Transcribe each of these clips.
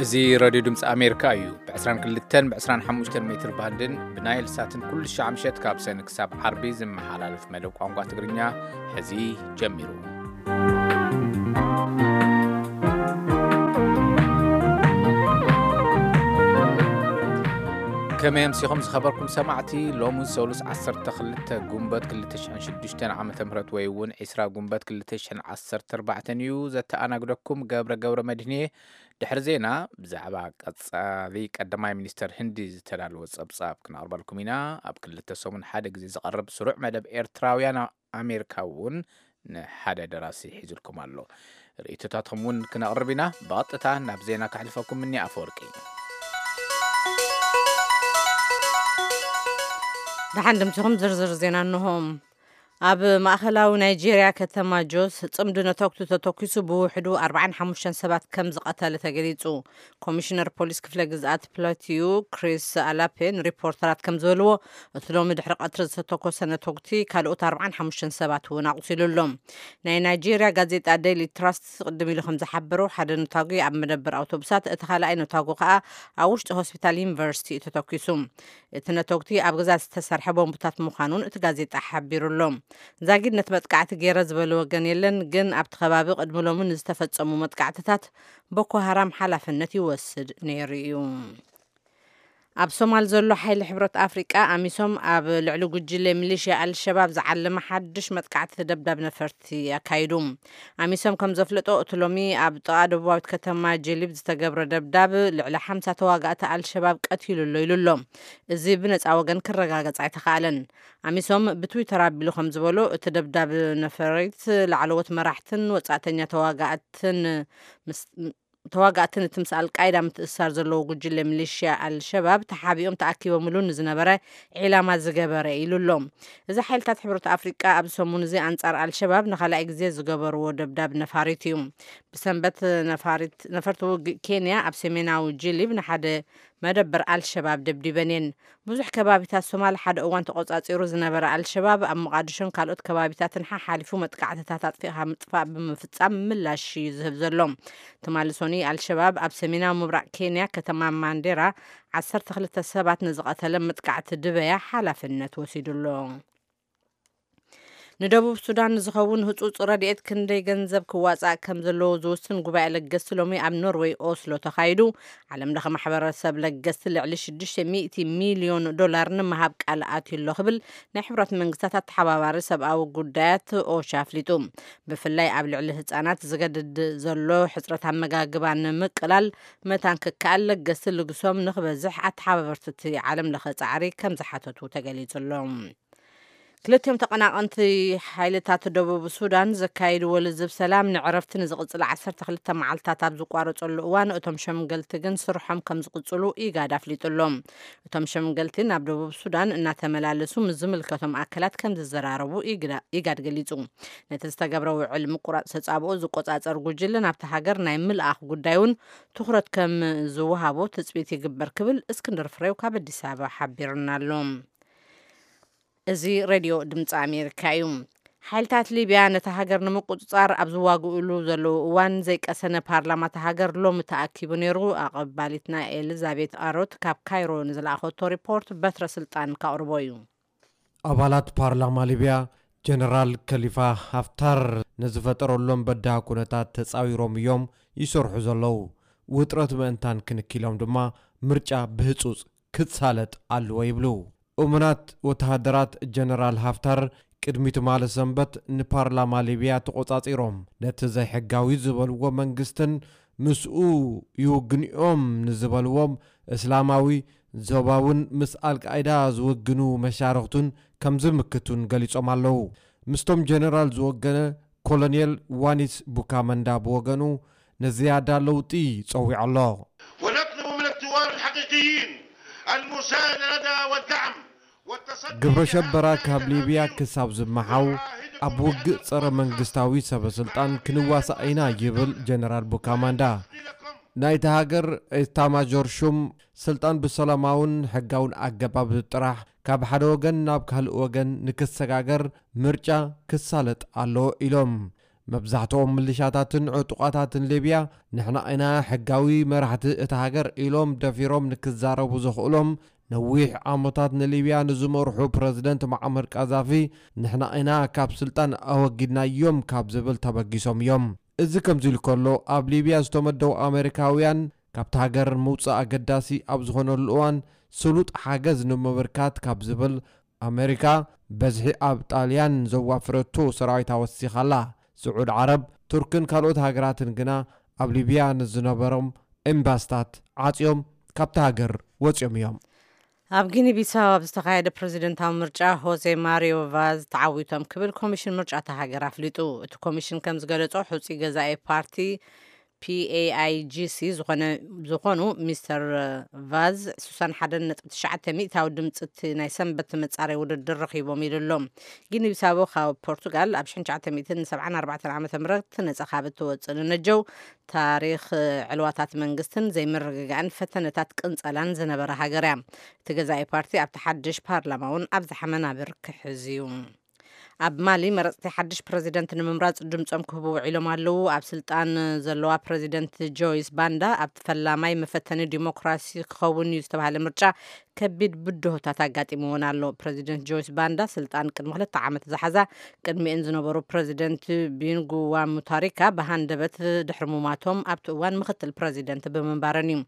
እዚ ሬድዮ ድምፂ ኣሜሪካ እዩ። ብ22 ብ25 ሜትር ባንድን ብናይል ሳትን ኩሉ ሻዕ ምሸት ካብ ሰኒ ክሳብ ዓርቢ ዝመሓላለፍ መደብ ቋንቋ ትግርኛ ሕዚ ጀሚሩ። ከመይ ኣምሲኹም ዝኸበርኩም ሰማዕቲ? ሎሚ ሰሉስ 12 ጉንበት 2006 ዓ ም ወይ እውን 20 ጉንበት 2014 እዩ። ዘተኣናግደኩም ገብረ ገብረ መድህኔ። ድሕሪ ዜና ብዛዕባ ቀጻሊ ቀዳማይ ሚኒስተር ህንዲ ዝተዳለወ ጸብጻብ ክነቕርበልኩም ኢና። ኣብ ክልተ ሰሙን ሓደ ግዜ ዝቐርብ ስሩዕ መደብ ኤርትራውያን ኣብ ኣሜሪካ እውን ንሓደ ደራሲ ሒዙልኩም ኣሎ። ርእይቶታትኩም እውን ክነቕርብ ኢና። ብቐጥታ ናብ ዜና ከሕልፈኩም እኒ ኣፈወርቂ። ደሓን ድምፅኹም ዝርዝር ዜና እንሆ። ኣብ ማእኸላዊ ናይጄርያ ከተማ ጆስ ጽምዲ ነተኩቲ ተተኩሱ ብውሕዱ 45 ሰባት ከም ዝቐተለ ተገሊጹ። ኮሚሽነር ፖሊስ ክፍለ ግዝኣት ፕላቲዩ ክሪስ ኣላፔ ንሪፖርተራት ከም ዝበልዎ፣ እቲ ሎሚ ድሕሪ ቀትሪ ዝተተኮሰ ነተኩቲ ካልኦት 45 ሰባት እውን ኣቑሲሉ ኣሎ። ናይ ናይጄርያ ጋዜጣ ዴይሊ ትራስት ቅድም ኢሉ ከም ዝሓበሮ፣ ሓደ ነታጒ ኣብ መደበር ኣውቶቡሳት፣ እቲ ካልኣይ ነታጒ ከኣ ኣብ ውሽጢ ሆስፒታል ዩኒቨርሲቲ እዩ ተተኪሱ። እቲ ነተኩቲ ኣብ ገዛ ዝተሰርሐ ቦምብታት ምዃኑን እቲ ጋዜጣ ሓቢሩ ኣሎ። ዛጊድ ነቲ መጥቃዕቲ ገይረ ዝበለ ወገን የለን፣ ግን ኣብቲ ከባቢ ቅድሚ ሎሚ ንዝተፈጸሙ መጥቃዕትታት ቦኮ ሃራም ሓላፍነት ይወስድ ነይሩ እዩ። ኣብ ሶማል ዘሎ ሓይሊ ሕብረት ኣፍሪቃ ኣሚሶም ኣብ ልዕሊ ጉጅለ ሚሊሽያ ኣልሸባብ ዝዓለመ ሓድሽ መጥቃዕቲ ደብዳብ ነፈርቲ ኣካይዱ። ኣሚሶም ከም ዘፍለጦ፣ እቲ ሎሚ ኣብ ጥቓ ደቡባዊት ከተማ ጀሊብ ዝተገብረ ደብዳብ ልዕሊ ሓምሳ ተዋጋእቲ ኣልሸባብ ቀቲሉ ኣሎ ኢሉ ኣሎ። እዚ ብነጻ ወገን ክረጋገጽ ኣይተኻእለን። ኣሚሶም ብትዊተር ኣቢሉ ከም ዝበሎ፣ እቲ ደብዳብ ነፈሪት ላዕለዎት መራሕትን ወጻእተኛ ተዋጋእትን ምስ ተዋጋእትን እቲ ምስ ኣልቃይዳ ምትእስሳር ዘለዎ ጉጅለ ሚሊሽያ ኣልሸባብ ተሓቢኦም ተኣኪቦምሉ ንዝነበረ ዒላማ ዝገበረ ኢሉ ኣሎ። እዚ ሓይልታት ሕብረት ኣፍሪቃ ኣብዚ ሰሙን እዚ ኣንጻር ኣልሸባብ ንኻልኣይ ግዜ ዝገበርዎ ደብዳብ ነፋሪት እዩ። ብሰንበት ነፋሪት ነፈርቲ ውግእ ኬንያ ኣብ ሰሜናዊ ጅሊብ ንሓደ መደበር ኣልሸባብ ደብዲበን እየን። ብዙሕ ከባቢታት ሶማል ሓደ እዋን ተቆጻጺሩ ዝነበረ ኣልሸባብ ኣብ ሞቓድሾን ካልኦት ከባቢታትን ሓሓሊፉ መጥቃዕትታት ኣጥፊእኻ ምጥፋእ ብምፍጻም ምላሽ እዩ ዝህብ ዘሎ። ትማሊ ሰኑይ ኣልሸባብ ኣብ ሰሜናዊ ምብራቕ ኬንያ ከተማ ማንዴራ 12 ሰባት ንዝቐተለ መጥቃዕቲ ድበያ ሓላፍነት ወሲዱ ኣሎ። ንደቡብ ሱዳን ንዝኸውን ህጹጽ ረድኤት ክንደይ ገንዘብ ክዋጻእ ከም ዘለዎ ዝውስን ጉባኤ ለገስቲ ሎሚ ኣብ ኖርዌይ ኦስሎ ተኻይዱ። ዓለም ለኸ ማሕበረሰብ ለገስቲ ልዕሊ 600 ሚልዮን ዶላር ንምሃብ ቃል ኣትዩ ኣሎ ክብል ናይ ሕብረት መንግስታት ኣተሓባባሪ ሰብኣዊ ጉዳያት ኦቻ ኣፍሊጡ። ብፍላይ ኣብ ልዕሊ ህጻናት ዝገድድ ዘሎ ሕጽረት ኣመጋግባ ንምቅላል መታን ክከኣል ለገስቲ ልግሶም ንክበዝሕ ኣተሓባበርቲ እቲ ዓለም ለኸ ጻዕሪ ከም ዝሓተቱ ተገሊጹ ኣሎ። ክልቲኦም ተቐናቐንቲ ሓይልታት ደቡብ ሱዳን ዘካየድዎ ልዝብ ሰላም ንዕረፍቲ ንዝቕጽል 12 መዓልታት ኣብ ዝቋረጸሉ እዋን፣ እቶም ሸምገልቲ ግን ስርሖም ከም ዝቕጽሉ ኢጋድ ኣፍሊጡ ኣሎ። እቶም ሸምገልቲ ናብ ደቡብ ሱዳን እናተመላለሱ ምስ ዝምልከቶም ኣካላት ከም ዝዘራረቡ ኢግዳ-፣ ኢጋድ ገሊጹ። ነቲ ዝተገብረ ውዕል ምቁራጽ ተጻብኦ ዝቆጻጸር ጉጅለ ናብቲ ሃገር ናይ ምልኣኽ ጉዳይ እውን ትኹረት ከም ዝወሃቦ ትጽቢት ይግበር ክብል እስክንድር ፍሬው ካብ ኣዲስ ኣበባ ሓቢሩና ኣሎ። እዚ ሬድዮ ድምፂ ኣሜሪካ እዩ። ሓይልታት ሊብያ ነታ ሃገር ንምቁፅፃር ኣብ ዝዋግእሉ ዘለዉ እዋን ዘይቀሰነ ፓርላማ እታ ሃገር ሎሚ ተኣኪቡ ነይሩ። ኣቐባሊትና ኤልዛቤት ኣሮት ካብ ካይሮ ንዝለኣኸቶ ሪፖርት በትረ ስልጣን ካቕርቦ እዩ። ኣባላት ፓርላማ ሊብያ ጀነራል ከሊፋ ሃፍታር ንዝፈጠረሎም በዳህ ኩነታት ተፃዊሮም እዮም ይሰርሑ ዘለዉ። ውጥረት ምእንታን ክንኪሎም ድማ ምርጫ ብህፁፅ ክትሳለጥ ኣለዎ ይብሉ። እሙናት ወተሃደራት ጀነራል ሃፍታር ቅድሚ ትማሊ ሰንበት ንፓርላማ ሊብያ ተቖጻጺሮም፣ ነቲ ዘይሕጋዊ ዝበልዎ መንግስትን ምስኡ ይውግንኦም ንዝበልዎም እስላማዊ ዞባውን ምስ ኣልቃይዳ ዝውግኑ መሻርኽቱን ከም ዝምክቱን ገሊጾም ኣለዉ። ምስቶም ጀነራል ዝወገነ ኮሎኔል ዋኒስ ቡካመንዳ ብወገኑ ንዝያዳ ለውጢ ጸዊዑ ኣሎ። ونطلب من الثوار الحقيقيين المساندة والدعم والتصدي ግብረ ሸበራ ካብ ሊብያ ክሳብ ዝመሓው ኣብ ውግእ ጸረ መንግስታዊ ሰበ ስልጣን ክንዋሳእ ኢና ይብል ጀነራል ቡካማንዳ። ናይታ ሃገር ኤታማዦር ሹም ስልጣን ብሰላማውን ሕጋውን ኣገባብ ጥራሕ ካብ ሓደ ወገን ናብ ካልእ ወገን ንክሰጋገር ምርጫ ክሳለጥ ኣሎ ኢሎም። መብዛሕትኦም ምልሻታትን ዕጡቓታትን ሊብያ ንሕና ኢና ሕጋዊ መራሕቲ እታ ሃገር ኢሎም ደፊሮም ንክዛረቡ ዘኽእሎም፣ ነዊሕ ዓመታት ንሊብያ ንዝመርሑ ፕረዚደንት መዓመር ቃዛፊ ንሕና ኢና ካብ ስልጣን ኣወጊድናዮም ካብ ዝብል ተበጊሶም እዮም። እዚ ከምዚ ኢሉ ከሎ፣ ኣብ ሊብያ ዝተመደቡ ኣሜሪካውያን ካብቲ ሃገር ምውጻእ ኣገዳሲ ኣብ ዝኾነሉ እዋን፣ ስሉጥ ሓገዝ ንምብርካት ካብ ዝብል፣ ኣሜሪካ በዝሒ ኣብ ጣልያን ዘዋፍረቶ ሰራዊት ኣወሲኻላ። ስዑድ ዓረብ፣ ቱርክን ካልኦት ሃገራትን ግና ኣብ ሊብያ ንዝነበሮም ኤምባስታት ዓጽዮም ካብቲ ሃገር ወጺኦም እዮም። ኣብ ጊኒ ቢሳው ኣብ ዝተኻየደ ፕረዚደንታዊ ምርጫ ሆዜ ማሪዮ ቫዝ ተዓዊቶም ክብል ኮሚሽን ምርጫ እታ ሃገር ኣፍሊጡ። እቲ ኮሚሽን ከም ዝገለጾ፣ ሕጹይ ገዛኢ ፓርቲ ፒኤኣይጂሲ ዝኾነ ዝኾኑ ሚስተር ቫዝ ስሳን ሓደን ነጥቢ ትሽዓተ ሚእታዊ ድምፂ እቲ ናይ ሰንበት መጻረይ ውድድር ረኺቦም ኢሉ ኣሎ። ጊኒ ቢሳው ካብ ፖርቱጋል ኣብ ሽሕን ትሽዓተ ሚእትን ሰብዓን ኣርባዕተን ዓመተ ምህረት ነጻ ካብ እትወፅእ ንነጀው፣ ታሪኽ ዕልዋታት መንግስትን ዘይምርግጋእን ፈተነታት ቅንጸላን ዝነበረ ሃገር እያ። እቲ ገዛኢ ፓርቲ ኣብቲ ሓድሽ ፓርላማ እውን ኣብዝሓ መናብር ክሕዝ እዩ። ኣብ ማሊ፣ መረፅቲ ሓድሽ ፕረዚደንት ንምምራፅ ድምፆም ክህቡ ውዒሎም ኣለዉ። ኣብ ስልጣን ዘለዋ ፕረዚደንት ጆይስ ባንዳ ኣብቲ ፈላማይ መፈተኒ ዲሞክራሲ ክኸውን እዩ ዝተባሃለ ምርጫ ከቢድ ብድሆታት ኣጋጢምዎን ኣሎ። ፕረዚደንት ጆይስ ባንዳ ስልጣን ቅድሚ ክልተ ዓመት ዝሓዛ፣ ቅድሚኤን ዝነበሩ ፕረዚደንት ቢንጉ ዋ ሙታሪካ ብሃንደበት ድሕሪ ሙማቶም ኣብቲ እዋን ምክትል ፕረዚደንት ብምንባረን እዩ።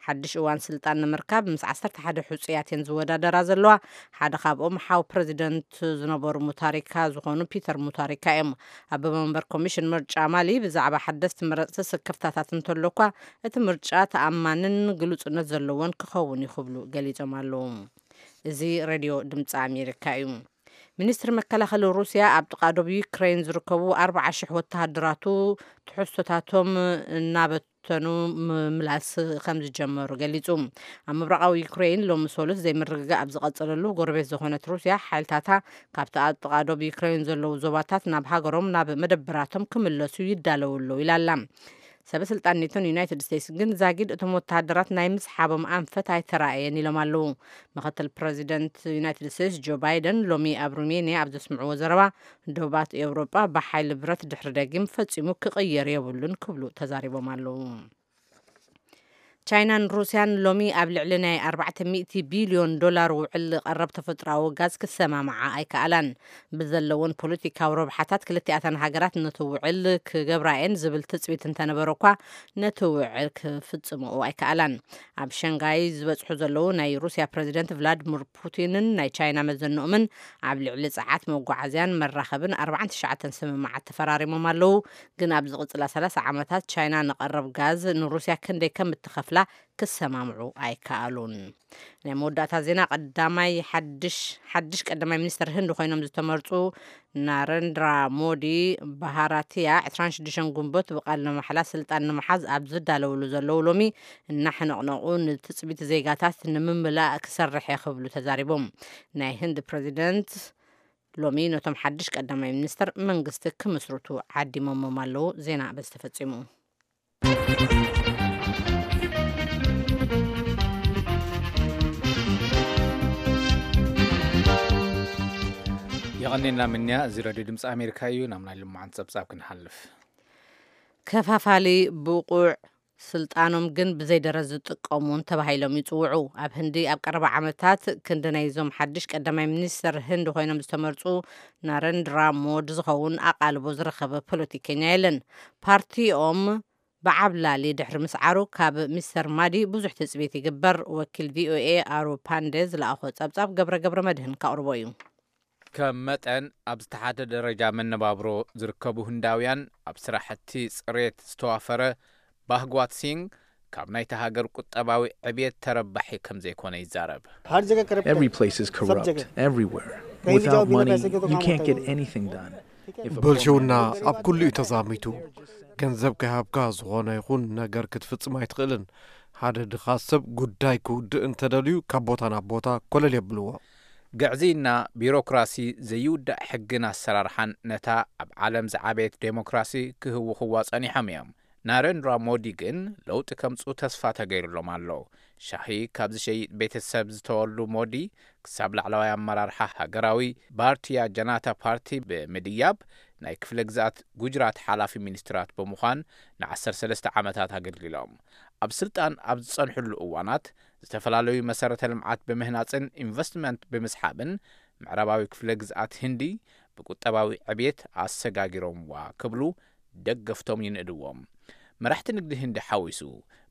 ሓድሽ እዋን ስልጣን ንምርካብ ምስ ዓሰርተ ሓደ ሕጹያት እየን ዝወዳደራ ዘለዋ። ሓደ ካብኦም ሓው ፕረዚደንት ዝነበሩ ሙታሪካ ዝኾኑ ፒተር ሙታሪካ እዮም። ኣቦ መንበር ኮሚሽን ምርጫ ማሊ ብዛዕባ ሓደስቲ መረፅቲ ስክፍታታት እንተሎ እኳ፣ እቲ ምርጫ ተኣማንን ግሉጽነት ዘለዎን ክኸውን እዩ ክብሉ ገሊጾም ኣለዉ። እዚ ሬድዮ ድምፂ ኣሜሪካ እዩ። ሚኒስትሪ መከላኸሊ ሩስያ ኣብ ጥቓ ዶብ ዩክሬን ዝርከቡ ኣርባዓ ሽሕ ወተሃደራቱ ትሕዝቶታቶም እናበተኑ ምምላስ ከም ዝጀመሩ ገሊጹ። ኣብ ምብራቓዊ ዩክሬን ሎሚ ሰሉስ ዘይምርግጋእ ኣብ ዝቐጸለሉ፣ ጎረቤት ዝኾነት ሩስያ ሓይልታታ ካብቲ ኣብ ጥቓ ዶብ ዩክሬን ዘለዉ ዞባታት ናብ ሃገሮም፣ ናብ መደበራቶም ክምለሱ ይዳለዉ ኣለዉ ኢላ ኣላ። ሰበ ስልጣን ኔቶን ዩናይትድ ስቴትስ ግን ዛጊድ እቶም ወተሃደራት ናይ ምስሓቦም ኣንፈት ኣይተራእየን ኢሎም ኣለዉ። ምክትል ፕረዚደንት ዩናይትድ ስቴትስ ጆ ባይደን ሎሚ ኣብ ሩሜንያ ኣብ ዘስምዕዎ ዘረባ፣ ዶባት ኤውሮጳ ብሓይሊ ብረት ድሕሪ ደጊም ፈጺሙ ክቕየር የብሉን ክብሉ ተዛሪቦም ኣለዉ። ቻይናን ሩስያን ሎሚ ኣብ ልዕሊ ናይ ኣርባዕተ ሚእቲ ቢልዮን ዶላር ውዕል ቀረብ ተፈጥሮኣዊ ጋዝ ክሰማምዓ ኣይከኣላን። ብዘለውን ፖለቲካዊ ረብሓታት ክልቲኣተን ሃገራት ነቲ ውዕል ክገብራ እየን ዝብል ትጽቢት እንተነበረ እኳ፣ ነቲ ውዕል ክፍጽምኦ ኣይከኣላን። ኣብ ሸንጋይ ዝበጽሑ ዘለዉ ናይ ሩስያ ፕረዚደንት ቭላድሚር ፑቲንን ናይ ቻይና መዘንኦምን ኣብ ልዕሊ ጸዓት መጓዓዝያን መራኸብን ኣርባዓን ትሽዓተን ስምምዓት ተፈራሪሞም ኣለዉ። ግን ኣብ ዝቕጽላ ሰላሳ ዓመታት ቻይና ንቐረብ ጋዝ ንሩስያ ክንደይ ከም እትኸፍላ ክሰማምዑ ኣይከኣሉን። ናይ መወዳእታ ዜና፣ ቀዳማይ ሓድሽ ሓድሽ ቀዳማይ ሚኒስተር ህንድ ኮይኖም ዝተመርጹ ናረንድራ ሞዲ ባሃራቲያ ዕስራን ሽዱሽተን ጉንበት ብቃል ንማሕላ ስልጣን ንምሓዝ ኣብ ዝዳለውሉ ዘለዉ ሎሚ፣ እናሕነቕነቑ ንትጽቢት ዜጋታት ንምምላእ ክሰርሕ እየ ክብሉ ተዛሪቦም። ናይ ህንድ ፕረዚደንት ሎሚ ነቶም ሓድሽ ቀዳማይ ሚኒስተር መንግስቲ ክምስርቱ ዓዲሞሞም ኣለዉ። ዜና በዚ ተፈጺሙ። የቐኔና ምንያ። እዚ ረድዮ ድምፂ ኣሜሪካ እዩ። ናብ ናይ ልማዓን ፀብፃብ ክንሓልፍ። ከፋፋሊ ብቑዕ ስልጣኖም ግን ብዘይደረ ዝጥቀሙን ተባሂሎም ይፅውዑ። ኣብ ህንዲ ኣብ ቀረባ ዓመታት ክንዲ ናይዞም ሓድሽ ቀዳማይ ሚኒስተር ህንዲ ኮይኖም ዝተመርፁ ናረንድራ ሞድ ዝኸውን ኣቓልቦ ዝረኸበ ፖለቲከኛ የለን። ፓርቲኦም ብዓብላሊ ድሕሪ ምስዓሩ ካብ ሚስተር ማዲ ብዙሕ ትፅቢት ይግበር። ወኪል ቪኦኤ ኣሩ ፓንደ ዝለኣኾ ፀብፃብ ገብረ ገብረ መድህን ካቕርቦ እዩ። ከም መጠን ኣብ ዝተሓተ ደረጃ መነባብሮ ዝርከቡ ህንዳውያን ኣብ ስራሕቲ ፅሬት ዝተዋፈረ ባህጓት ሲንግ ካብ ናይቲ ሃገር ቁጠባዊ ዕብየት ተረባሒ ከም ዘይኮነ ይዛረብ። Every place is corrupt, everywhere. Without money, you can't get anything done. ብልሽውና ኣብ ኩሉ እዩ ተዛሚቱ። ገንዘብ ከይሃብካ ዝኾነ ይኹን ነገር ክትፍጽም ኣይትኽእልን። ሓደ ድኻ ሰብ ጉዳይ ክውድእ እንተደልዩ ካብ ቦታ ናብ ቦታ ኮለል የብልዎ። ግዕዝይና፣ ቢሮክራሲ፣ ዘይውዳእ ሕግን ኣሰራርሓን ነታ ኣብ ዓለም ዝዓበየት ዴሞክራሲ ክህውኽዋ ጸኒሖም እዮም። ናረንድራ ሞዲ ግን ለውጢ ከምጽኡ ተስፋ ተገይሩሎም ኣሎ። ሻሂ ካብ ዝሸይጥ ቤተሰብ ዝተወልዱ ሞዲ፣ ክሳብ ላዕለዋይ ኣመራርሓ ሃገራዊ ባርቲያ ጀናታ ፓርቲ ብምድያብ፣ ናይ ክፍለ ግዝኣት ጉጅራት ሓላፊ ሚኒስትራት ብምዃን ን13 ዓመታት ኣገልጊሎም። ኣብ ስልጣን ኣብ ዝጸንሕሉ እዋናት ዝተፈላለዩ መሰረተ ልምዓት ብምህናጽን ኢንቨስትመንት ብምስሓብን ምዕራባዊ ክፍለ ግዝኣት ህንዲ ብቁጠባዊ ዕብየት ኣሰጋጊሮምዋ ክብሉ ደገፍቶም ይንእድዎም። መራሕቲ ንግዲ ህንዲ ሓዊሱ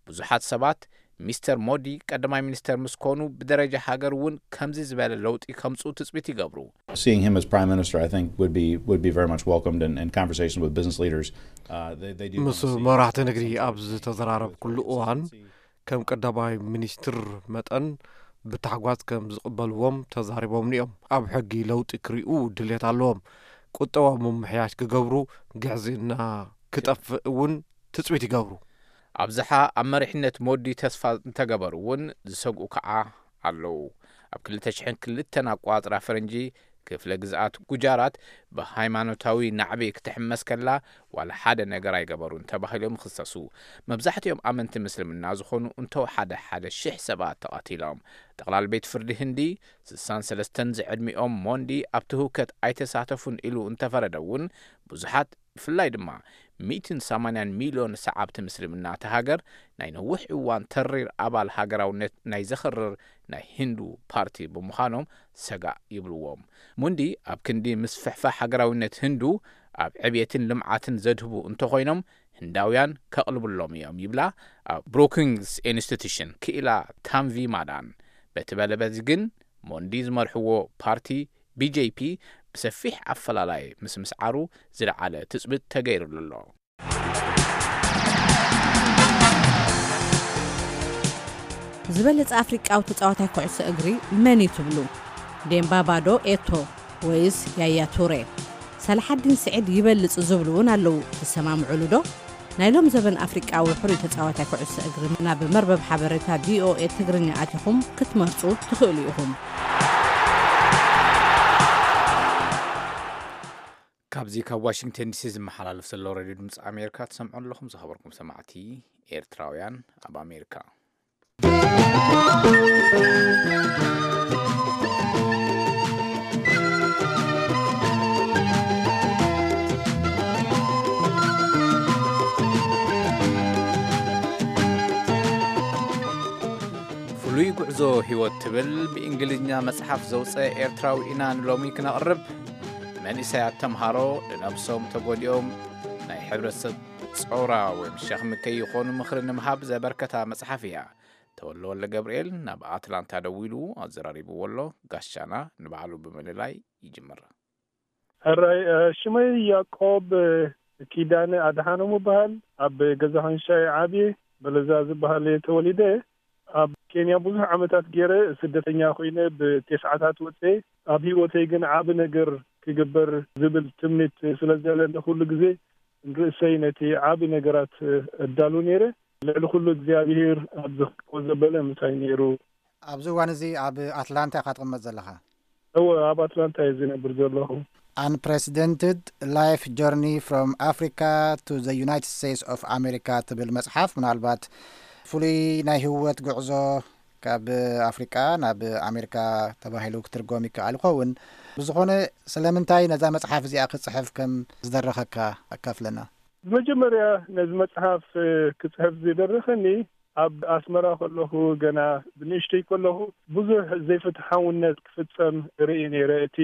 ብዙሓት ሰባት ሚስተር ሞዲ ቀዳማይ ሚኒስተር ምስ ኮኑ ብደረጃ ሃገር እውን ከምዚ ዝበለ ለውጢ ከምጽኡ ትጽቢት ይገብሩ። Seeing him as prime minister, I think, would be would be very much welcomed in, in conversations with business leaders. Uh, they, they do want ምስ to see መራሕቲ ንግዲ ኣብ ዝተዘራረብኩሉ እዋን ከም ቀዳማይ ሚኒስትር መጠን ብታሕጓስ ከም ዝቕበልዎም ተዛሪቦምኒ እዮም። ኣብ ሕጊ ለውጢ ክሪኡ ድሌት ኣለዎም። ቁጠባ ምምሕያሽ ክገብሩ፣ ግዕዝና ክጠፍእ እውን ትጽቢት ይገብሩ። ኣብዝሓ ኣብ መሪሕነት ሞዲ ተስፋ እንተገበሩ እውን ዝሰግኡ ከዓ ኣለዉ። ኣብ ክልተ ሽሕን ክልተን ኣቋጽራ ፈረንጂ ክፍለ ግዝኣት ጉጃራት ብሃይማኖታዊ ናዕቢ ክትሕመስ ከላ ዋላ ሓደ ነገር ኣይገበሩን ተባሂሎም ይኽሰሱ። መብዛሕትኦም ኣመንቲ ምስልምና ዝኾኑ እንተወሓደ ሓደ ሽሕ ሰባት ተቐቲሎም። ጠቕላል ቤት ፍርዲ ህንዲ ስሳን ሰለስተን ዝዕድሚኦም ሞንዲ ኣብቲ ህውከት ኣይተሳተፉን ኢሉ እንተፈረደ እውን ብዙሓት ብፍላይ ድማ ሚእትን ሰማንያን ሚልዮን ሰዓብቲ ምስልምና እታ ሃገር ናይ ነዊሕ እዋን ተሪር ኣባል ሃገራውነት ናይ ዘኽርር ናይ ህንዱ ፓርቲ ብምዃኖም ሰጋእ ይብልዎም። ሙንዲ ኣብ ክንዲ ምስፍሕፋሕ ሃገራውነት ህንዱ ኣብ ዕብየትን ልምዓትን ዘድህቡ እንተኾይኖም ህንዳውያን ከቕልብሎም እዮም ይብላ ኣብ ብሩኪንግስ ኢንስቲቱሽን ክኢላ ታንቪ ማዳን። በቲ በለበዚ ግን ሞንዲ ዝመርሕዎ ፓርቲ ቢጄፒ ብሰፊሕ ኣፈላላይ ምስ ምስዓሩ ዝለዓለ ትጽቢት ተገይሩሉ ኣሎ። ዝበለጸ ኣፍሪቃዊ ተጻዋታይ ኩዕሶ እግሪ መን እዩ ትብሉ? ዴምባባ ዶ ኤቶ ወይስ ያያ ቱሬ? ሰላሓዲን ስዒድ ይበልጽ ዝብሉ እውን ኣለዉ። ትሰማምዑሉ ዶ? ናይ ሎም ዘበን ኣፍሪቃዊ ሕሩይ ተጻዋታይ ኩዕሶ እግሪ ናብ መርበብ ሓበሬታ ቪኦኤ ትግርኛ ኣቲኹም ክትመርጹ ትኽእሉ ኢኹም። ካብዚ ካብ ዋሽንግተን ዲሲ ዝመሓላለፍ ዘሎ ሬድዮ ድምፂ ኣሜሪካ ትሰምዑ ኣለኹም። ዝኸበርኩም ሰማዕቲ ኤርትራውያን ኣብ ኣሜሪካ። ፍሉይ ጉዕዞ ህይወት ትብል ብእንግሊዝኛ መጽሓፍ ዘውፀ ኤርትራዊ ኢና ንሎሚ ክነቕርብ። መንእሰያት ተምሃሮ ንነብሶም ተጎዲኦም ናይ ሕብረተሰብ ጸውራ ወይ ሸኽሚ ከይኾኑ ምኽሪ ንምሃብ ዘበርከታ መጽሓፍ እያ። ተወልደ ወልደ ገብርኤል ናብ ኣትላንታ ደዊሉ ኣዘራሪብዎ ኣሎ። ጋሻና ንባዕሉ ብምልላይ ይጅምር። ሕራይ፣ እ፣ ሽመይ ያቆብ፣ እ፣ ኪዳነ ኣድሓኖም እበሃል። ኣብ ገዛ ኸንሻይ ዓብየ በለዛ ዝበሃል እየ ተወሊደ። ኣብ ኬንያ ብዙሕ ዓመታት ገይረ ስደተኛ ኮይነ ብቴስዓታት ወፀ። ኣብ ህይወተይ ግን ዓቢ ነገር ክግበር ዝብል ትምኒት ስለ ዘለኒ ኩሉ ግዜ ንርእሰይ ነቲ ዓቢ ነገራት እዳሉ ነይረ። ልዕሊ ኩሉ እግዚኣብሄር ኣብዚ ክኮ ዘበለ ምሳይ ነይሩ። ኣብዚ እዋን እዚ ኣብ ኣትላንታ ኢኻ ትቕመጥ ዘለኻ? እወ፣ ኣብ ኣትላንታ እየ ዝነብር ዘለኹ። Unprecedented Life Journey from Africa to the United States of America ትብል መጽሓፍ ምናልባት ፍሉይ ናይ ህይወት ጉዕዞ ካብ ኣፍሪቃ ናብ ኣሜሪካ ተባሂሉ ክትርጎም ይከኣል ይኸውን። ብዝኾነ ስለምንታይ ነዛ መጽሓፍ እዚኣ ክጽሕፍ ከም ዝደረኸካ ኣካፍለና። መጀመርያ ነዚ መጽሓፍ፣ እ፣ ክጽሕፍ ዝደረኸኒ ኣብ ኣስመራ ከለኹ ገና ብንእሽተይ ከለኹ ብዙሕ ዘይፍትሓውነት ክፍጸም ርኢ ነይረ። እቲ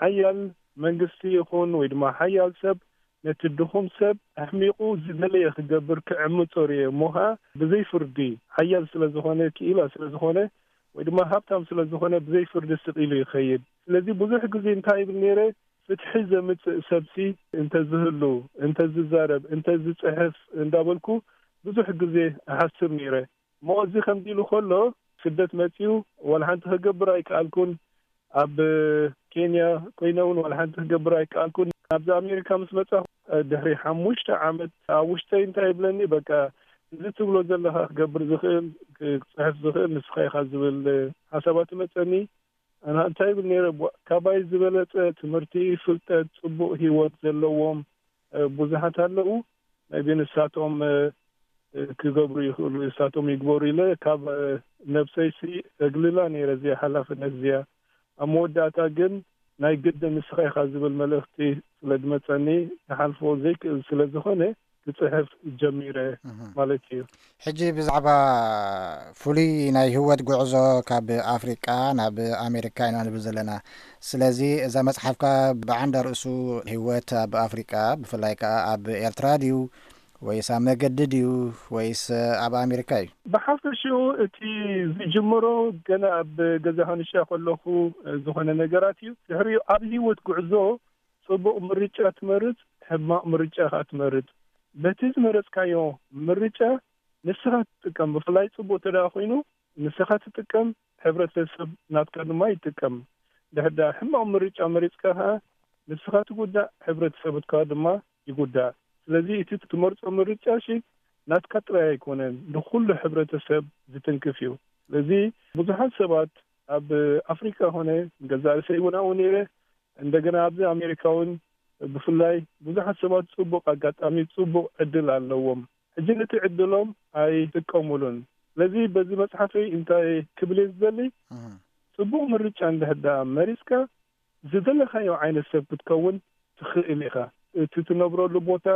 ሓያል መንግስቲ ይኹን ወይ ድማ ሓያል ሰብ ነቲ ድኹም ሰብ ኣሕሚቑ ዝደለየ ክገብር ክዕምጾ ርእየ። እሞ ኸኣ ብዘይ ፍርዲ ሓያል ስለ ዝኾነ፣ ክኢላ ስለ ዝኾነ ወይ ድማ ሃብታም ስለ ዝኾነ ብዘይ ፍርዲ ስቕ ኢሉ ይኸይድ። ስለዚ ብዙሕ ግዜ እንታይ ይብል ነይረ፣ ፍትሒ ዘምጽእ ሰብሲ እንተዝህሉ፣ እንተዝዛረብ፣ እንተዝጽሕፍ እንዳበልኩ ብዙሕ ግዜ እሓስብ ነይረ። እሞ እዚ ከምዚ ኢሉ ከሎ ስደት መጺኡ ዋላ ሓንቲ ክገብር ኣይከኣልኩን። ኣብ ኬንያ ኮይነ እውን ዋላ ሓንቲ ክገብር ኣይከኣልኩን። ኣብዚ ኣሜሪካ ምስ መጻኹ ድሕሪ ሓሙሽተ ዓመት ኣብ ውሽጠይ እንታይ ይብለኒ፣ በቃ እዚ ትብሎ ዘለኻ ክገብር ዝኽእል፣ ክጽሕፍ ዝኽእል ንስኻ ኢኻ ዝብል ሓሳባት ይመጸኒ። ኣነ እንታይ ይብል ነይረ፣ ቧ-፣ ካባይ ዝበለጸ ትምህርቲ፣ ፍልጠት፣ ጽቡቕ ህይወት ዘለዎም፣ እ፣ ብዙሓት ኣለዉ። maybe ንሳቶም፣ እ፣ እ፣ ክገብሩ ይኽእሉ፣ ንሳቶም ይግበሩ ኢለ ካብ፣ እ፣ ነብሰይሲ እግልላ ነይረ እዚኣ ሓላፍነት እዚኣ። ኣብ መወዳእታ ግን ናይ ግድን ንስኻ ኢኻ ዝብል መልእኽቲ ስለ ዝመጸኒ፣ ክሓልፎ ዘይክእል ስለ ዝኾነ፣ ክጽሕፍ ጀሚረ ማለት እዩ። ሕጂ ብዛዕባ ፍሉይ ናይ ህይወት ጉዕዞ ካብ ኣፍሪቃ ናብ ኣሜሪካ ኢና ንብል ዘለና። ስለዚ እዛ መጽሓፍካ ብዓንዳ ርእሱ ህይወት ኣብ ኣፍሪቃ፣ ብፍላይ ከኣ ኣብ ኤርትራ ድዩ፣ ወይስ ኣብ መገዲ ድዩ፣ ወይስ ኣብ ኣሜሪካ እዩ? ብሓፈሽኡ እቲ ዝጅምሮ ገና ኣብ ገዛ ሃንሻ ከለኹ ዝኾነ ነገራት እዩ። ድሕሪኡ ኣብ ህይወት ጉዕዞ ጽቡቕ ምርጫ ትመርጽ፣ ሕማቕ ምርጫ ከኣ ትመርጽ። በቲ ዝመረጽካዮ ምርጫ ንስኻ ትጥቀም። ብፍላይ ጽቡቕ ተደኣ ኮይኑ ንስኻ ትጥቀም፣ ሕብረተሰብ ናትካ ድማ ይጥቀም። ድሕር ደኣ ሕማቕ ምርጫ መሪጽካ ከኣ ንስኻ ትጉዳእ፣ ሕብረተሰብካ ድማ ይጉዳእ። ስለዚ እቲ ትመርጾ ምርጫ ሺ ናትካ ጥራይ ኣይኮነን፣ ንኹሉ ሕብረተሰብ ዝትንክፍ እዩ። ስለዚ ብዙሓት ሰባት ኣብ ኣፍሪካ ኾነ ገዛእ ርእሰይ እውን ኣብኡ ነይረ፣ እንደገና ኣብዚ ኣሜሪካ እውን ብፍላይ ብዙሓት ሰባት ጽቡቕ ኣጋጣሚ፣ ጽቡቕ ዕድል ኣለዎም። ሕጂ ነቲ ዕድሎም ኣይጥቀሙሉን። ስለዚ በዚ መጽሓፈይ እንታይ ክብል እየ ዝደሊ? እህ። ጽቡቕ ምርጫ እንድሕር ደኣ መሪጽካ፣ ዝደለኻዮ ዓይነት ሰብ ክትከውን ትኽእል ኢኻ። እቲ ትነብረሉ ቦታ፣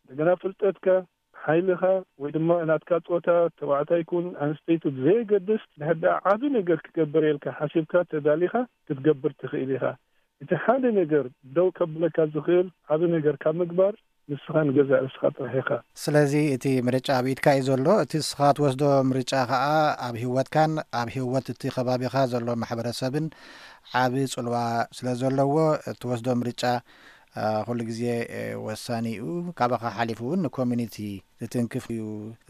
እንደገና ፍልጠትካ፣ ሓይልኻ፣ ወይ ድማ ናትካ ጾታ፣ ተባዕታይ ኩን ኣንስተይቲ ብዘየገድስ፣ እንድሕር ደኣ ዓቢ ነገር ክገብር ኢልካ ሓሲብካ ተዳሊኻ ክትገብር ትኽእል ኢኻ። እቲ ሓደ ነገር ደው ከብለካ ዝኽእል ዓቢ ነገር ካብ ምግባር፣ ንስኻ ንገዛእ ርእስኻ ጥራሕ ኢኻ። ስለዚ እቲ ምርጫ ኣብ ኢድካ እዩ ዘሎ። እቲ ንስኻ ትወስዶ ምርጫ ኸኣ ኣብ ህይወትካን ኣብ ህይወት እቲ ከባቢኻ ዘሎ ማሕበረሰብን ዓቢ ጽልዋ ስለ ዘለዎ፣ እትወስዶ ምርጫ፣ እ፣ ኩሉ ግዜ፣ እ፣ ወሳኒ እዩ። ካባኻ ሓሊፉ እውን ንኮሚኒቲ ዝትንክፍ እዩ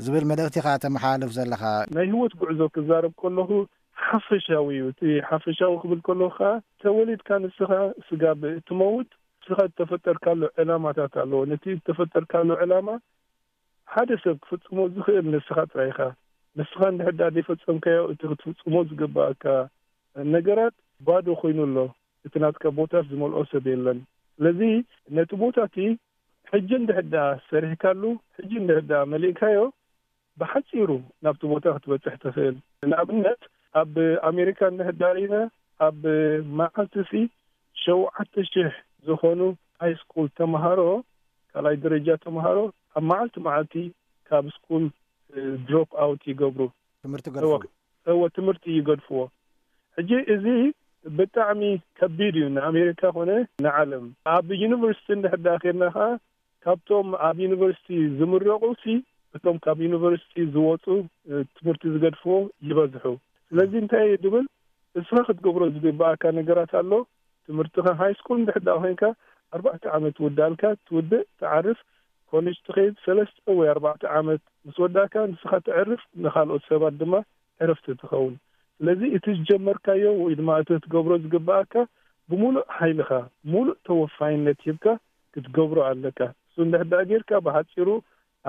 ዝብል መልእኽቲ ኸኣ ተመሓላልፍ ዘለኻ። ናይ ህይወት ጉዕዞ ክዛረብ ከለኹ ሓፈሻዊ እዩ። እቲ ሓፈሻዊ ክብል ከለኹ ኸኣ ተወሊድካ ንስኻ ስጋብ እትመውት ንስኻ እተፈጠርካሉ ዕላማታት ኣለዎ። ነቲ እተፈጠርካሉ ዕላማ ሓደ ሰብ ክፍጽሞ ዝኽእል ንስኻ ጥራይ ኢኻ። ንስኻ እንድሕር ደኣ ዘይፈጸምካዮ፣ እቲ ክትፍጽሞ ዝግብኣካ ነገራት ባዶ ኮይኑ ኣሎ። እቲ ናትካ ቦታስ ዝመልኦ ሰብ የለን። ስለዚ ነቲ ቦታ እቲ ሕጂ እንድሕር ደኣ ሰሪሕካሉ፣ ሕጂ እንድሕር ደኣ መሊእካዮ፣ ብሓጺሩ ናብቲ ቦታ ክትበጽሕ ትኽእል። ንኣብነት፣ ኣብ ኣሜሪካ እንድሕር ደኣ ርኢና፣ ኣብ መዓልቲ ሲ ሸውዓተ ሽሕ ዝኾኑ ሃይ ስኩል ተምሃሮ፣ ካልኣይ ደረጃ ተምሃሮ፣ ኣብ መዓልቲ መዓልቲ ካብ ስኩል፣ እ፣ ድሮፕ ኣውት ይገብሩ። ትምህርቲ እወ፣ ገድፉ። እወ፣ ትምህርቲ ይገድፍዎ። ሕጂ እዚ ብጣዕሚ ከቢድ እዩ ንኣሜሪካ ኮነ ንዓለም። ኣብ ዩኒቨርሲቲ እንድሕር ደኣ ኬድና ኸኣ፣ ካብቶም ኣብ ዩኒቨርሲቲ ዝምረቑ ሲ፣ እቶም ካብ ዩኒቨርሲቲ ዝወጹ፣ እ፣ ትምህርቲ ዝገድፍዎ ይበዝሑ። ስለዚ እንታይ እየ ዝብል፣ እስኻ ክትገብሮ ዝግብኣካ ነገራት ኣሎ። ትምህርትኻ ሃይ ስኩል እንድሕር ደኣ ኮይንካ፣ ኣርባዕተ ዓመት ውዳልካ ትውድእ፣ ትዓርፍ፣ ኮሌጅ ትኸይድ፣ ሰለስተ ወይ ኣርባዕተ ዓመት ምስ ወዳእካ ንስኻ ተዕርፍ፣ ንኻልኦት ሰባት ድማ ዕረፍቲ ትኸውን። ስለዚ እቲ ዝጀመርካዮ ወይ ድማ እቲ ክትገብሮ ዝግብኣካ ብምሉእ ሓይልኻ፣ ምሉእ ተወፋይነት ሂብካ ክትገብሮ ኣለካ። እሱ እንድሕር ደኣ ጌርካ፣ ብሓጺሩ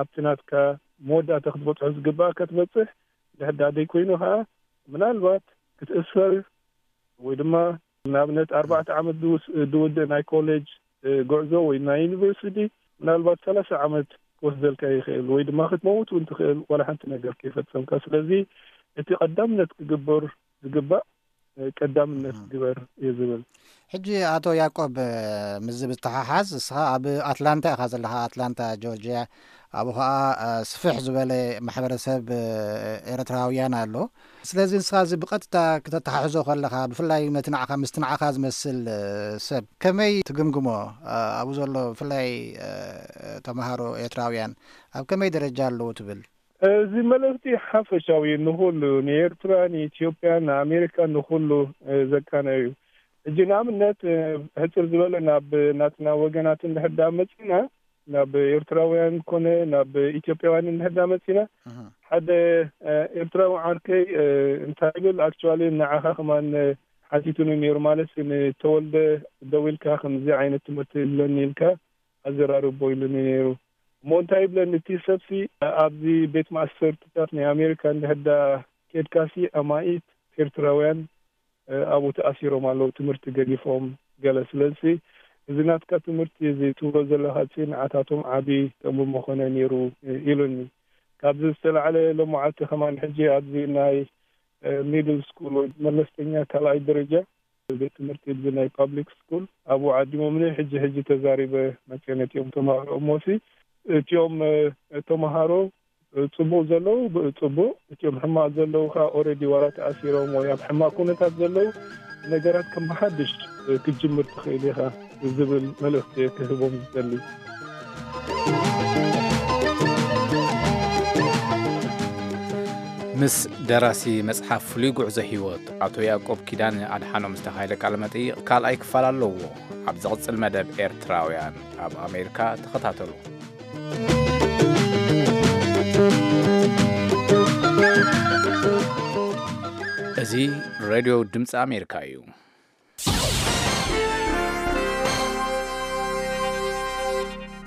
ኣብቲ ናትካ መወዳእታ ክትበጽሖ ዝግብኣካ ትበጽሕ። እንድሕር ደኣ ደይኮይኑ ኸኣ፣ ምናልባት ክትእሰር ወይ ድማ ንኣብነት ኣርባዕተ ዓመት ዝውስ-፣ ዝውድእ ናይ ኮሌጅ፣ እ፣ ጉዕዞ ወይ ናይ ዩኒቨርሲቲ ምናልባት ሰላሳ ዓመት ክወስደልካ ይኽእል፣ ወይ ድማ ክትመውት እውን ትኽእል፣ ዋላ ሓንቲ ነገር ከይፈጸምካ። ስለዚ እቲ ቀዳምነት ክግበር ዝግባእ፣ እ፣ ቀዳምነት እም። ግበር እየ ዝብል። ሕጂ ኣቶ ያዕቆብ፣ እ፣ ምስዚ ብዝተሓሓዝ፣ እስኻ ኣብ ኣትላንታ ኢኻ ዘለኻ፣ ኣትላንታ ጆርጅያ። ኣብኡ ኸኣ፣ እ፣ ስፍሕ ዝበለ ማሕበረሰብ፣ እ፣ ኤርትራውያን ኣሎ። ስለዚ ንስኻ እዚ ብቐጥታ ክተተሓሕዞ ከለኻ፣ ብፍላይ ነቲ ንዓኻ፣ ምስቲ ንዓኻ ዝመስል፣ እ፣ ሰብ ከመይ ትግምግሞ? እ፣ ኣብኡ ዘሎ ብፍላይ፣ እ፣ ተምሃሮ ኤርትራውያን ኣብ ከመይ ደረጃ ኣለዉ ትብል? እዚ መልእኽቲ ሓፈሻዊ እዩ፣ ንኹሉ፣ ንኤርትራ፣ ንኢትዮጵያ፣ ንኣሜሪካ፣ ንኹሉ፣ እ፣ ዘቃነዩ እዩ። ሕጂ ንኣብነት፣ እ፣ ሕጽር ዝበለ ናብ ናትና ወገናት እንድሕር ደኣ መጺና፣ ናብ ኤርትራውያን ኮነ ናብ ኢትዮጵያውያን እንድሕር ደኣ መጺና፣ እህ። ሓደ፣ እ፣ ኤርትራዊ ዓርከይ፣ እ፣ እንታይ ይብል፣ ኣክቹዋሊ ንዓኻ ከማን፣ እ፣ ሓቲቱኒ ነይሩ፣ ማለት ንተወልደ ደዊልካ ከምዚ ዓይነት ትምህርቲ ኣለኒ ኢልካ ኣዘራርቦ ኢሉኒ ነይሩ። እሞ እንታይ ይብለኒ እቲ ሰብሲ፣ ኣብዚ ቤት ማእሰርትታት ናይ ኣሜሪካ እንድሕር ደኣ ኬድካሲ ኣማኢት ኤርትራውያን፣ እ፣ ኣብኡ ተኣሲሮም ኣለዉ፣ ትምህርቲ ገዲፎም ገለ። ስለዚ እዚ ናትካ ትምህርቲ እዚ ትብሎ ዘለኻሲ ንዓታቶም ዓቢ ጥቕሚ ምኾነ ነይሩ፣ እ፣ ኢሉኒ። ካብዚ ዝተላዕለ ሎማዓልቲ ከማን ሕጂ ኣብዚ ናይ፣ እ፣ ሚድል ስኩል ወይ መለስተኛ ካልኣይ ደረጃ ቤት ትምህርቲ ብዚ ናይ ፓብሊክ ስኩል ኣብኡ ዓዲሞምኒ። ሕጂ ሕጂ ተዛሪበ መፅየ ነቲኦም ተማሃሮ እሞሲ እቲኦም ተማሃሮ ፅቡቅ ዘለዉ ጽቡቅ፣ እቲኦም ሕማቅ ዘለዉ ከኣ ኦረዲ ዋላ ተኣሲሮም ወይ ኣብ ሕማቅ ኩነታት ዘለዉ ነገራት ከም ሓድሽ ክትጅምር ትኽእል ኢኻ ዝብል መልእኽቲ ክህቦም ዝደሊ። ምስ ደራሲ መጽሓፍ ፍሉይ ጉዕዞ ህይወት ኣቶ ያዕቆብ ኪዳነ ኣድሓኖም ዝተኻየደ ቃለ መጠይቕ ካልኣይ ክፋል ኣለዎ። ኣብ ዝቕጽል መደብ ኤርትራውያን ኣብ ኣሜሪካ ተኸታተሉ። እዚ ሬድዮ ድምፂ ኣሜሪካ እዩ።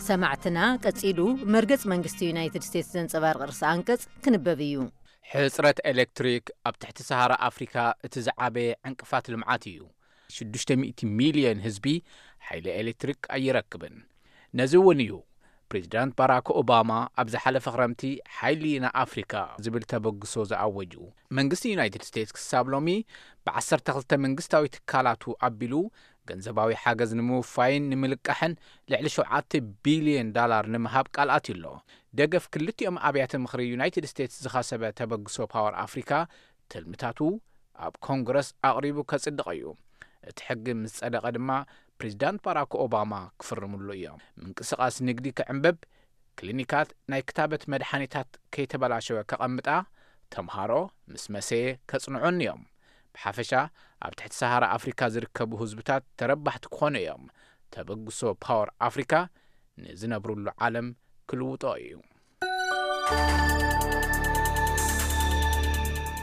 ሰማዕትና፣ ቀጺሉ መርገጽ መንግስቲ ዩናይትድ ስቴትስ ዘንጸባርቕ ርእሰ ኣንቀጽ ክንበብ እዩ። ሕጽረት ኤሌክትሪክ ኣብ ትሕቲ ሰሃራ ኣፍሪካ እቲ ዝዓበየ ዕንቅፋት ልምዓት እዩ። ሽዱሽተ ሚእቲ ሚልዮን ህዝቢ ሓይሊ ኤሌክትሪክ ኣይረክብን። ነዚ እውን እዩ ፕሬዚዳንት ባራክ ኦባማ ኣብ ዝሓለፈ ክረምቲ ሓይሊ ንኣፍሪካ ዝብል ተበግሶ ዝኣወጁ። መንግስቲ ዩናይትድ ስቴትስ ክሳብ ሎሚ ብ ዓሰርተ ክልተ መንግስታዊ ትካላቱ ኣቢሉ ገንዘባዊ ሓገዝ ንምውፋይን ንምልቃሕን ልዕሊ ሸውዓተ ቢልዮን ዳላር ንምሃብ ቃል ኣትዩ ኣሎ። ደገፍ ክልቲኦም ኣብያተ ምኽሪ ዩናይትድ ስቴትስ ዝኸሰበ ተበግሶ ፓወር ኣፍሪካ ትልምታቱ ኣብ ኮንግረስ ኣቕሪቡ ከጽድቕ እዩ። እቲ ሕጊ ምስ ጸደቐ ድማ ፕሬዚዳንት ባራክ ኦባማ ክፍርምሉ እዮም። ምንቅስቓስ ንግዲ ክዕንብብ፣ ክሊኒካት ናይ ክታበት መድሓኒታት ከይተበላሸወ ከቐምጣ፣ ተምሃሮ ምስ መሰየ ከጽንዑን እዮም። ብሓፈሻ ኣብ ትሕቲ ሰሃራ ኣፍሪካ ዝርከቡ ህዝብታት ተረባሕቲ ክኾኑ እዮም። ተበግሶ ፓወር ኣፍሪካ ንዝነብሩሉ ዓለም ክልውጦ እዩ።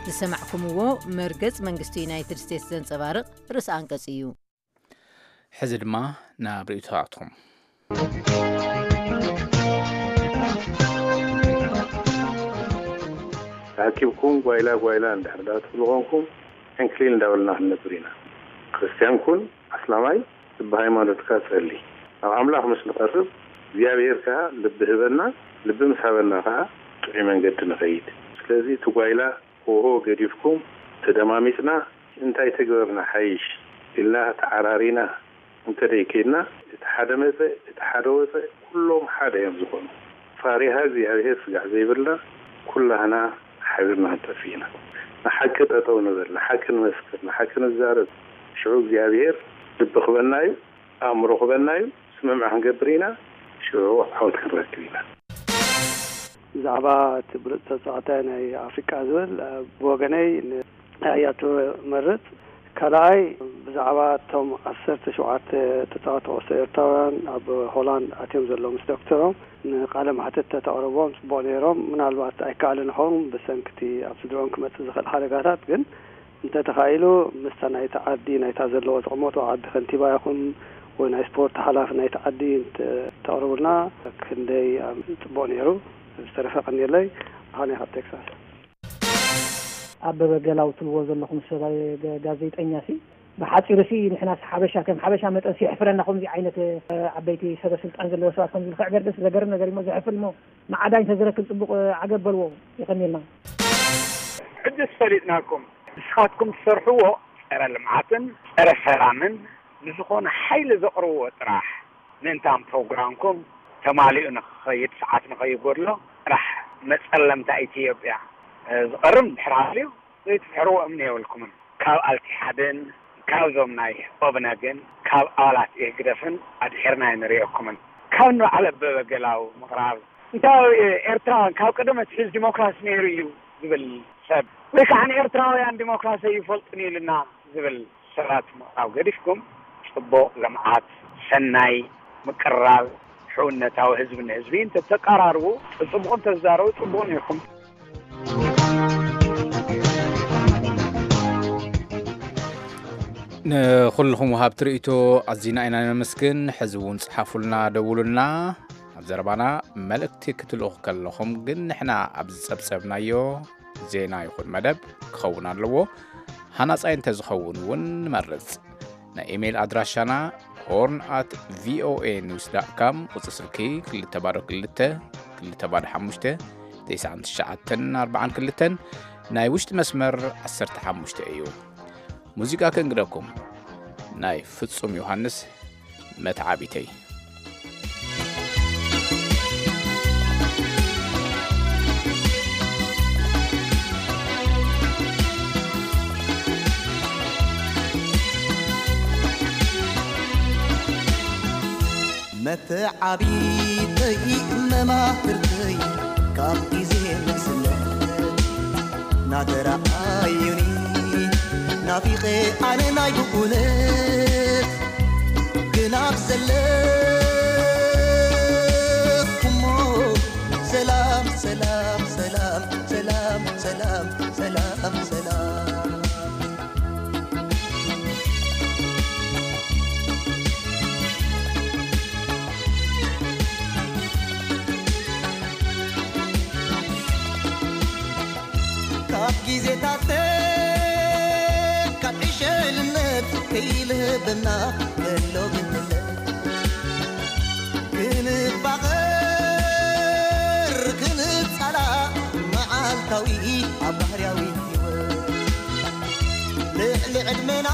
ዝሰማዕኩምዎ መርገጽ መንግስቲ ዩናይትድ ስቴትስ ዘንጸባርቕ ርእሲ ኣንቀጽ እዩ። ሕዚ ድማ ናብ ርእይቶታትኩም። ተኣኪብኩም ጓይላ ጓይላ እንድሕር ደኣ ትብሉ ኾንኩም፣ ዕንክሊል እንዳበልና ክንነብር ኢና። ክርስትያን ኩን፣ ኣስላማይ፣ ልቢ ሃይማኖትካ ጸሊ። ናብ ኣምላኽ ምስ ንቐርብ፣ እግዚኣብሄር ከኣ ልቢ ህበና፣ ልቢ ምስ ሃበና ከኣ ጥዑይ መንገዲ ንኸይድ። ስለዚ እቲ ጓይላ ሆሆ ገዲፍኩም፣ ተደማሚጽና እንታይ ተግበርና ሓይሽ ኢልና ተዓራሪና እንተ ደይከይድና፣ እቲ ሓደ መጸ፣ እቲ ሓደ ወጸ፣ ኩሎም ሓደ እዮም ዝኾኑ። ፋሪሃ እግዚኣብሄር ስጋዕ ዘይብልና ኩላህና ሓቢርና ክንጠፍእ ኢና። ንሓቂ ጠጠው ንበል፣ ንሓቂ ንመስክር፣ ንሓቂ ንዛረብ። ሽዑ እግዚኣብሄር ልቢ ክበና እዩ፣ ኣእምሮ ክበና እዩ፣ ስምምዕ ክንገብር ኢና፣ ሽዑ ዓወት ክንረክብ ኢና። ብዛዕባ እቲ ብሉፅ ተፃዋታይ ናይ ኣፍሪቃ ዝብል ብወገነይ ንኣያቱ መርፅ። ካልኣይ ብዛዕባ እቶም ዓሰርተ ሸውዓተ ተፃወቲ ኩዕሶ ኤርትራውያን ኣብ ሆላንድ ኣትዮም ዘለዉ ምስ ዶክተሮም ንቃለ መሕትት ተተቕርቦም ፅቡቕ ነይሮም። ምናልባት ኣይከኣልን ይኸውን ብሰንክቲ ኣብ ስድርኦም ክመፅእ ዝኽእል ሓደጋታት፣ ግን እንተተኻኢሉ ምስታ ናይቲ ዓዲ ናይታ ዘለዎ ዝቕመጡ ዓዲ ከንቲባ ይኹን ወይ ናይ ስፖርት ሓላፊ ናይቲ ዓዲ እንተተቕርቡልና ክንደይ ጽቡቕ ነይሩ። ዝተረፈ ቀንየለይ። ብርሃነ ካብ ቴክሳስ። ኣበበ ገላው ትብልዎ ዘለኹም ሰብኣይ ጋዜጠኛ ሲ ብሓፂሩ ሲ ንሕናስ ሓበሻ ከም ሓበሻ መጠን ሲ የሕፍረና ከምዚ ዓይነት ዓበይቲ ሰበ ስልጣን ዘለዎ ሰባት ከምዚ ልክዕ ገርደስ ዘገርም ነገር እሞ ዘሕፍር እሞ መዓዳይ እንተዝረክብ ጽቡቕ ዓገብ በልዎ። የቐንየልና። ሕጅስ ፈሊጥናኩም። ንስኻትኩም ትሰርሕዎ ጸረ ልምዓትን ጸረ ሰላምን ንዝኾነ ሓይሊ ዘቕርብዎ ጥራሕ ምእንታን ፕሮግራምኩም ተማሊኡ ንኽኸይድ ሰዓት ንኸይጎድሎ ጥራሕ መጸለምታ ኢትዮጵያ ዝቐርም ድሕር ሃልዩ ዘይትድሕርዎ እምኒ የብልኩምን። ካብ ኣልቲሓድን ካብዞም ናይ ኦብነግን ካብ ኣባላት ኢህግደፍን ኣድሒርና ኣይንርእየኩምን። ካብ ንበዓል ኣበበ ገላው ምቕራብ እንታይ ኤርትራውያን ካብ ቀደም ኣትሒዝ ዲሞክራሲ ነይሩ እዩ ዝብል ሰብ ወይ ከዓ ንኤርትራውያን ዲሞክራሲ ኣይፈልጡን ኢልና ዝብል ሰባት ምቕራብ ገዲፍኩም ጽቡቕ ልምዓት፣ ሰናይ ምቅርራብ፣ ሕውነታዊ ህዝቢ ንህዝቢ እንተተቀራርቡ ጽቡቕ እንተዛረቡ ጽቡቕ ነይርኩም። ንኹልኹም ወሃብቲ ርእይቶ ኣዚና ኢና ነመስግን። ሕዚ እውን ጽሓፉልና፣ ደውሉልና። ኣብ ዘረባና መልእክቲ ክትልእኹ ከለኹም ግን ንሕና ኣብ ዝጸብጸብናዮ ዜና ይኹን መደብ ክኸውን ኣለዎ። ሃናጻይ እንተዝኸውን እውን ንመርጽ። ናይ ኢሜይል ኣድራሻና ሆርን ኣት ቪኦኤ ኒውስ ዳት ካም፣ ቁጽሪ ስልኪ ክልተ ባዶ ክልተ ክልተ ባዶ ሓሙሽተ ተስዓን ትሽዓተን ኣርባዓን ክልተን፣ ናይ ውሽጢ መስመር ዓሰርተ ሓሙሽተ እዩ። ሙዚቃ ከእንግደኩም። ናይ ፍጹም ዮሃንስ መተዓቢተይ። መተዓቢተይ መማህርተይ ካብ ግዜ ንእስነት ናተረኣዩኒ ናፊቐ ኣነ ናይ ብኡነት ግን ኣብ ዘለኹሞ ሰላም ሰላም ሰላም ሰላም ሰላም ሰላም ሰላም። ካብ ግዜታት ካብ ዕሸልነት ከይልህበና ከሎ ግንነት ክንፋቐር ክንጻላእ መዓልታዊ ኣብ ባህርያዊ ህይወት ልዕሊ ዕድመና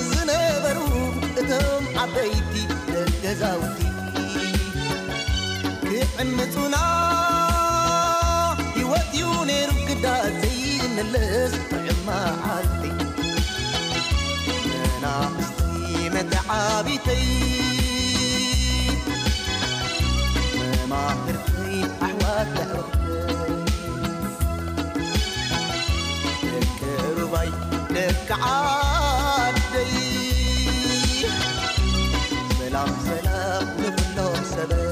ዝነበሩ እቶም ዓበይቲ ደገዛውቲ ክዕምጹና ህይወት እዩ ነይሩ ግዳ ዘይምለስ ጥዑም መዓልቲ መናእሰይ መተዓቢተይ መማህርተይ ኣሕዋት ኣዕሩኽተይ ደቂ ሩባይ ደቂ ዓደይ ሰላም ሰላም ንኹሎም ሰበይ።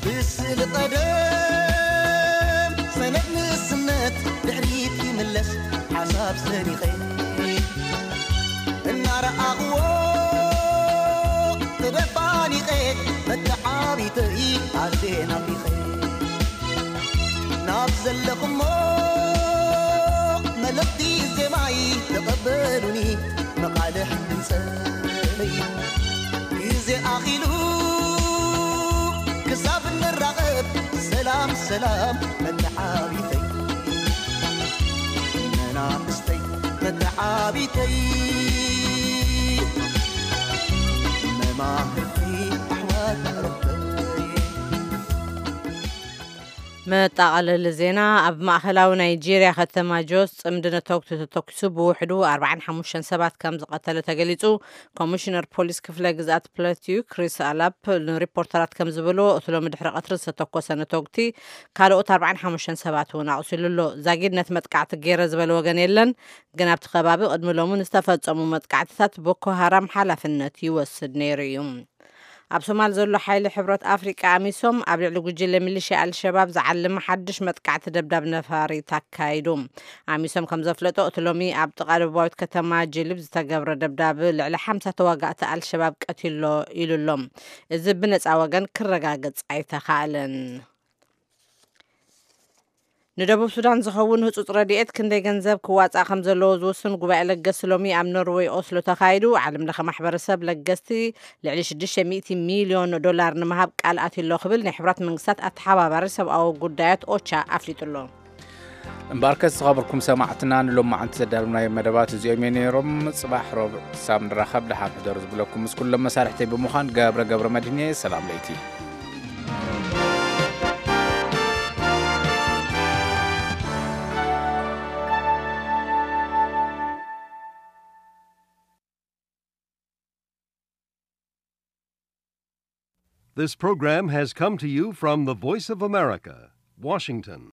ብስሊ ቀደም ሰነድ ንእስነት ድሕሪት ይምለስ ሓሳብ ሰኒቐ እናረኣኽዎ ተደፋኒቐ መተዓቢተይ ኣዜ ናፊቐ ናብ ዘለኹሞ መልእኽቲ ዜማይ ተቐበሉኒ መቓልሕ ድምፀይ ግዜ ኣኺሉ ክሳብ ንራኸብ ሰላም ሰላም መተዓቢተይ መናእስተይ መተዓቢተይ መማህርተይ ኣሕዋት ኣረበይ። መጣቐለሊ ዜና። ኣብ ማእኸላዊ ናይጄርያ ከተማ ጆስ ጽምዲ ነተጉቲ ተተኪሱ ብውሕዱ ኣርባዓን ሓሙሽተን ሰባት ከም ዝቐተለ ተገሊጹ። ኮሚሽነር ፖሊስ ክፍለ ግዝኣት ፕለቲዩ ክሪስ ኣላፕ ንሪፖርተራት ከም ዝበሎ እቲ ሎሚ ድሕሪ ቀትሪ ዝተተኮሰ ነተጉቲ ካልኦት ኣርባዓን ሓሙሽተን ሰባት እውን ኣቑሲሉ ኣሎ። ዛጊድ ነቲ መጥቃዕቲ ገይረ ዝበለ ወገን የለን፣ ግን ኣብቲ ከባቢ ቅድሚ ሎሚ ንዝተፈጸሙ መጥቃዕትታት ቦኮ ሃራም ሓላፍነት ይወስድ ነይሩ እዩ። ኣብ ሶማል ዘሎ ሓይሊ ሕብረት ኣፍሪቃ ኣሚሶም ኣብ ልዕሊ ጉጅለ ሚሊሽያ ኣልሸባብ ዝዓለመ ሓድሽ መጥቃዕቲ ደብዳብ ነፋሪት ኣካይዱ። ኣሚሶም ከም ዘፍለጦ እቲ ሎሚ ኣብ ጥቓ ደቡባዊት ከተማ ጅሊብ ዝተገብረ ደብዳብ ልዕሊ ሓምሳ ተዋጋእቲ ኣልሸባብ ቀቲሎ ኢሉ ኣሎ። እዚ ብነፃ ወገን ክረጋገጽ ኣይተኻእለን። ንደቡብ ሱዳን ዝኸውን ህጹጽ ረድኤት ክንደይ ገንዘብ ክዋጻእ ከም ዘለዎ ዝውስን ጉባኤ ለገስቲ ሎሚ ኣብ ኖርወይ ኦስሎ ተኻይዱ። ዓለም ለኸ ማሕበረሰብ ለገስቲ ልዕሊ ሽዱሽተ ሚእቲ ሚልዮን ዶላር ንምሃብ ቃል ኣትዩ ኣሎ ክብል ናይ ሕቡራት መንግስታት ኣተሓባባሪ ሰብኣዊ ጉዳያት ኦቻ ኣፍሊጡ ኣሎ። እምበኣርከስ ዝኸበርኩም ሰማዕትና ንሎማዓንቲ ዘዳለናዮም መደባት እዚኦም እዮም ነይሮም። ጽባሕ ረቡዕ ክሳብ ንራኸብ ደሓን ሕደሩ ዝብለኩም ምስ ኩሎም መሳርሕተይ ብምዃን ገብረ ገብረ መድህን እየ። ሰላም ለይቲ። This program has come to you from the Voice of America, Washington.